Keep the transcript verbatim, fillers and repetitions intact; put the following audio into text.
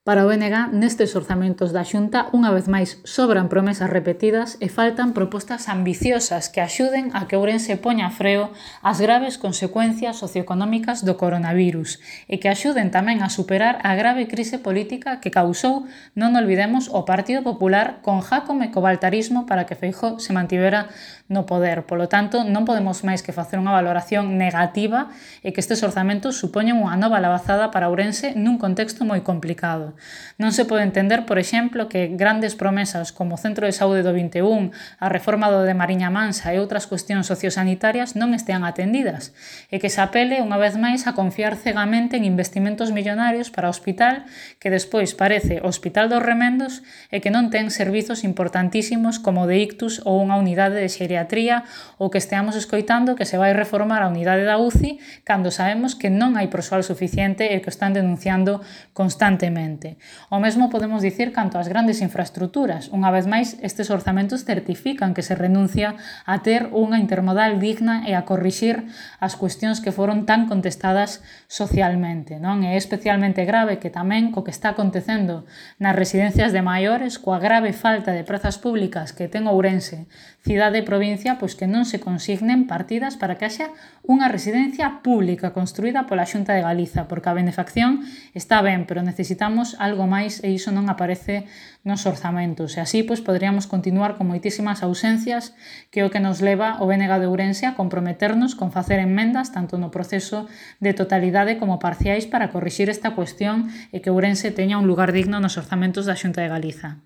Para o B N G, nestes orzamentos da Xunta, unha vez máis sobran promesas repetidas e faltan propostas ambiciosas que axuden a que Ourense poña freo ás graves consecuencias socioeconómicas do coronavirus e que axuden tamén a superar a grave crise política que causou, non olvidemos, o Partido Popular con Jácome co baltarismo para que Feijóo se mantivera no poder. Polo tanto, non podemos máis que facer unha valoración negativa e que estes orzamentos supoñen unha nova labazada para Ourense nun contexto moi complicado. Non se pode entender, por exemplo, que grandes promesas como o Centro de Saúde do vinte e un, a reforma do de Mariña Mansa e outras cuestións sociosanitarias non estean atendidas e que se apele unha vez máis a confiar cegamente en investimentos millonarios para o hospital que despois parece o Hospital dos Remendos e que non ten servizos importantísimos como o de ictus ou unha unidade de xeriatría ou que esteamos escoitando que se vai reformar a unidade da U C I cando sabemos que non hai persoal suficiente e que o están denunciando constantemente. O mesmo podemos dicir canto ás grandes infraestructuras. Unha vez máis, estes orzamentos certifican que se renuncia a ter unha intermodal digna e a corrixir as cuestións que foron tan contestadas socialmente, non? É especialmente grave que tamén co que está acontecendo nas residencias de maiores, coa grave falta de prazas públicas que ten Ourense, cidade e provincia, pois que non se consignen partidas para que haxa unha residencia pública construída pola Xunta de Galiza, porque a benefacción está ben, pero necesitamos algo máis e iso non aparece nos orzamentos. E así, pois, poderíamos continuar con moitísimas ausencias que é o que nos leva o B N G de Ourense a comprometernos con facer enmendas tanto no proceso de totalidade como parciais para corrixir esta cuestión e que Ourense teña un lugar digno nos orzamentos da Xunta de Galiza.